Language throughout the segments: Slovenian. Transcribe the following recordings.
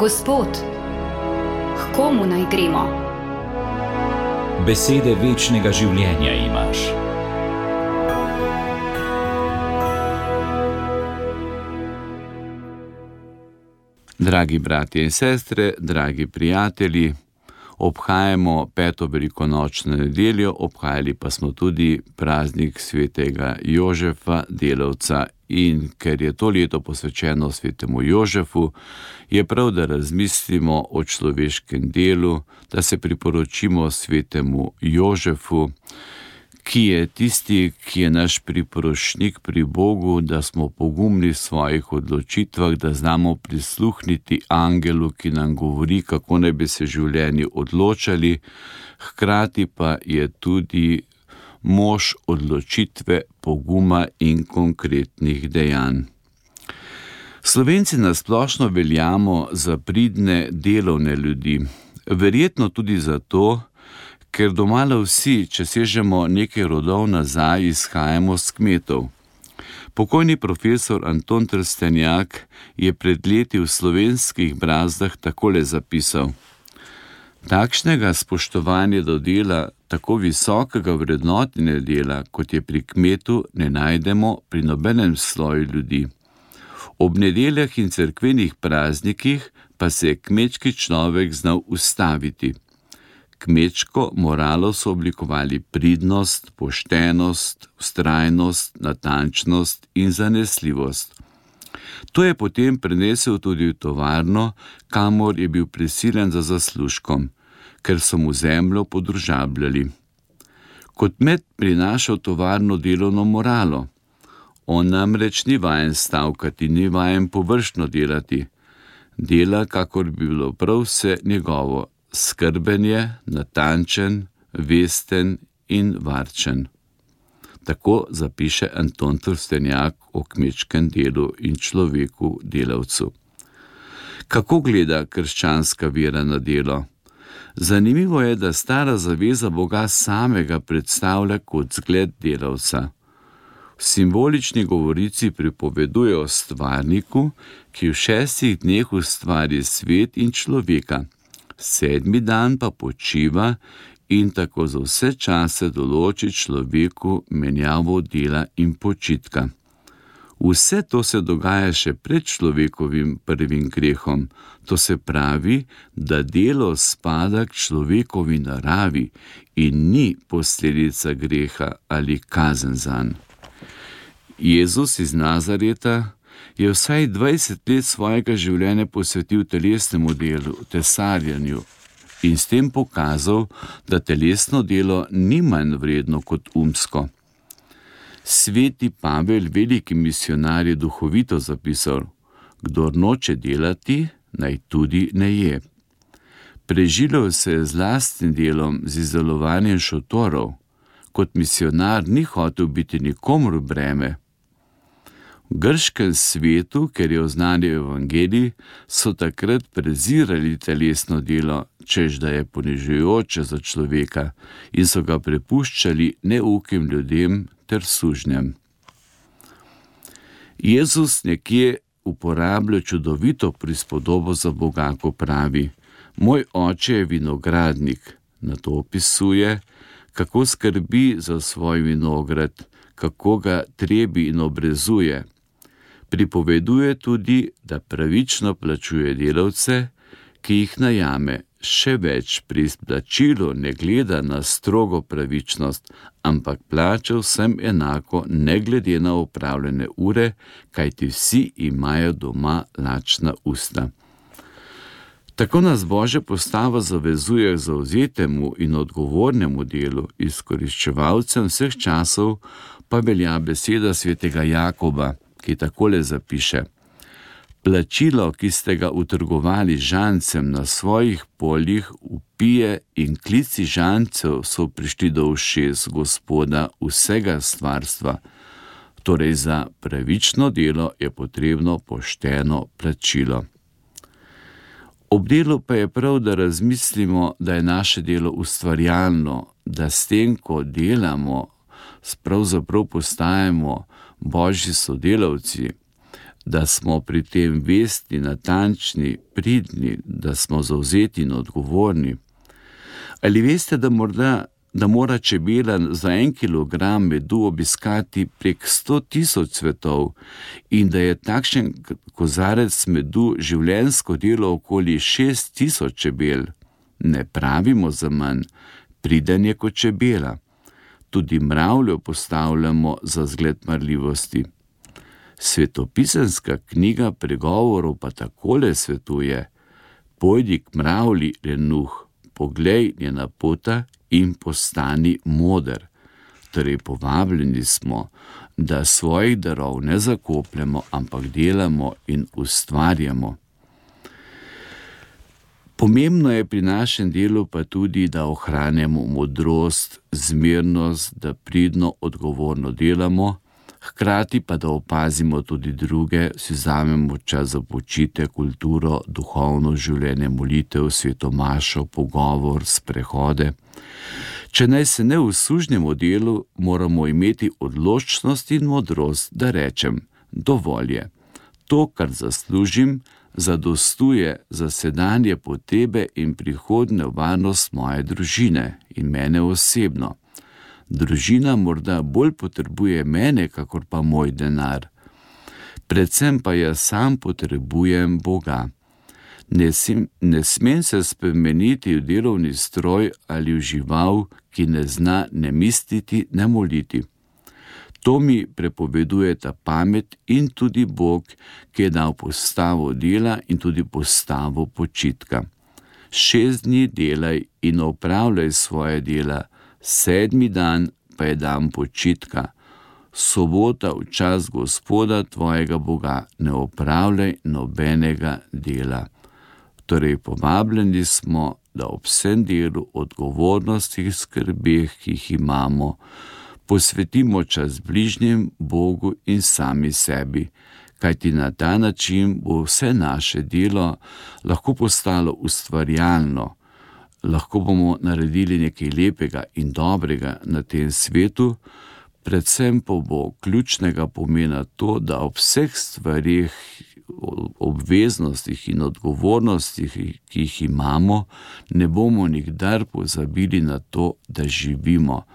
Gospod, k komu naj gremo? Besede večnega življenja imaš. Dragi bratje in sestre, dragi prijatelji, obhajamo 5. velikonočno nedeljo, obhajali pa smo tudi praznik svetega Jožefa, delavca, in ker je to leto posvečeno svetemu Jožefu, je prav, da razmislimo o človeškem delu, da se priporočimo svetemu Jožefu, ki je tisti, ki je naš priporočnik pri Bogu, da smo pogumni v svojih odločitvah, da znamo prisluhniti angelu, ki nam govori, kako naj bi se življenji odločali, hkrati pa je tudi mož odločitve, poguma in konkretnih dejanj. Slovenci nasplošno veljamo za pridne, delovne ljudi, verjetno tudi zato, ker domala vsi, če sežemo nekaj rodov nazaj, izhajamo s kmetov. Pokojni profesor Anton Trstenjak je pred leti v Slovenskih brazdah takole zapisal: takšnega spoštovanja do dela, tako visokega vrednotenja dela, kot je pri kmetu, ne najdemo pri nobenem sloju ljudi. Ob nedeljah in cerkvenih praznikih pa se je kmečki človek znal ustaviti. Kmečko moralo so oblikovali pridnost, poštenost, vztrajnost, natančnost in zanesljivost. To je potem prenesel tudi v tovarno, kamor je bil prisiljen za zaslužkom, ker so mu zemljo podružabljali. Kot kmet prinaša v tovarno delovno moralo. On namreč ni vajen stavkati, ni vajen površno delati. Dela, kakor bi bilo prav vse njegovo. Skrben je, natančen, vesten in varčen. Tako zapiše Anton Trstenjak o kmečkem delu in človeku delavcu. Kako gleda krščanska vera na delo? Zanimivo je, da stara zaveza Boga samega predstavlja kot zgled delavca. V simbolični govorici pripoveduje o stvarniku, ki v 6 dneh ustvari svet in človeka. 7. dan pa počiva in tako za vse čase določi človeku menjavo dela in počitka. Vse to se dogaja še pred človekovim prvim grehom, to se pravi, da delo spada k človekovi naravi in ni posledica greha ali kazen zanj. Jezus iz Nazareta je vsaj 20 let svojega življenja posvetil telesnemu delu, tesarjenju, in s tem pokazal, da telesno delo ni manj vredno kot umsko. Sveti Pavel, veliki misionar, je duhovito zapisal: kdor noče delati, naj tudi ne je. Preživljal se je z lastnim delom, z izdelovanjem šotorov. Kot misionar ni hotel biti nikomur breme. V grškem svetu, ker je oznanil evangelij, so takrat prezirali telesno delo, češ da je ponižujoče za človeka, in so ga prepuščali neukim ljudem ter sužnjem. Jezus nekje uporablja čudovito prispodobo za Boga, ko pravi: moj oče je vinogradnik. Nato opisuje, kako skrbi za svoj vinograd, kako ga trebi in obrezuje. Pripoveduje tudi, da pravično plačuje delavce, ki jih najame. Še več, pri plačilu ne gleda na strogo pravičnost, ampak plača vsem enako, ne glede na opravljene ure, kajti vsi imajo doma lačna usta. Tako nas Božja postava zavezuje k zavzetemu in odgovornemu delu, izkoriščevalcem vseh časov pa velja beseda svetega Jakoba, ki takole zapiše: plačilo, ki ste ga utrgovali žancem na svojih poljih, vpije in klici žancev so prišli do ušes Gospoda vsega stvarstva. Torej za pravično delo je potrebno pošteno plačilo. Ob delu pa je prav, da razmislimo, da je naše delo ustvarjalno, da s tem, ko delamo, pravzaprav postajamo Božji sodelavci. da smo pri tem vestni, natančni, pridni, da smo zavzeti in odgovorni. Ali veste, da mora čebela za 1 kilogram medu obiskati prek 100.000 cvetov in da je takšen kozarec medu življenjsko delo okoli 6.000 čebel? Ne pravimo za manj, priden je kot čebela. Tudi mravljo postavljamo za zgled marljivosti. Svetopisemska knjiga Pregovorov pa takole svetuje: pojdi k mravlji, lenuh, poglej njena pota in postani moder. Torej povabljeni smo, da svojih darov ne zakopljemo, ampak delamo in ustvarjamo. Pomembno je pri našem delu pa tudi, da ohranjamo modrost, zmernost, da pridno, odgovorno delamo, hkrati pa da opazimo tudi druge, si vzamemo čas za počitek, kulturo, duhovno življenje, molitev, svetomašo, pogovor, sprehode. Če naj se ne usužnjemo delu, moramo imeti odločnost in modrost, da rečem: dovolj je. To, kar zaslužim, zadostuje za sedanje potrebe in prihodnjo varnost moje družine in mene osebno. Družina morda bolj potrebuje mene, kakor pa moj denar. Predvsem pa jaz sam potrebujem Boga. Ne smem se spremeniti v delovni stroj ali v žival, ki ne zna ne misliti, ne moliti. To mi prepovedujeta pamet in tudi Bog, ki je dal postavo dela in tudi postavo počitka. 6 dni delaj in opravljaj svoje dela, 7. dan pa je dan počitka. Sobota v čas Gospoda tvojega Boga, ne opravljaj nobenega dela. Torej povabljeni smo, da ob vsem delu, odgovornostih, skrbeh, ki jih imamo, posvetimo čas bližnjim, Bogu in sami sebi, kajti na ta način bo vse naše delo lahko postalo ustvarjalno. Lahko bomo naredili nekaj lepega in dobrega na tem svetu, predvsem pa bo ključnega pomena to, da ob vseh stvarih, obveznostih in odgovornostih, ki jih imamo, ne bomo nikdar pozabili na to, da živimo,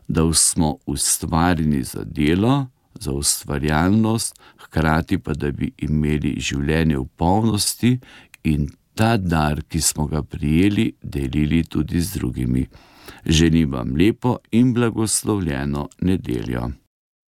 da smo ustvarjeni za delo, za ustvarjalnost, hkrati pa da bi imeli življenje v polnosti in ta dar, ki smo ga prijeli, delili tudi z drugimi. Želim vam lepo in blagoslovljeno nedeljo.